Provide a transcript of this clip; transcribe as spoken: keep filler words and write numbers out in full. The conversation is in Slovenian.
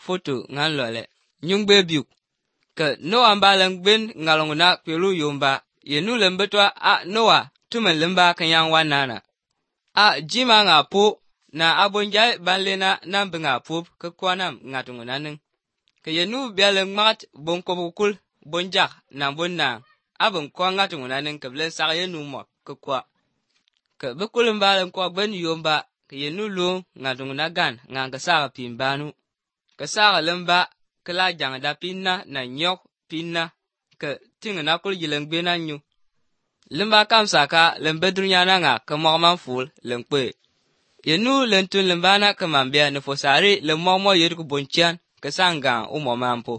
foto ngan lole nyungbe biuk ke Noah ba lang ben ngalonguna pelu yomba yenu lembetwa a Noah tumen lemba kanyang wanana a jima nga po na abonjai banlena nambenga pop ke kwanam ngatunguna ning ke yenu bialeng mat bonkobukul bonjak na bonna abon kwa ngatunguna ning ke blen sak yenu mo ke kwa ke bekulum balang kwa ben yomba ke yenu lu ngatunguna gan ngang ke saka pimbanu ke saka lemba ke la jang da pinna na nyok pinna ke tingna kul yileng bena nyu lemba kam saka lembe dunyana nga ke mokman ful lengpe yenu lentun lembana ke mambia ne fosari le momo yedu bonchian ke sanga umo mampo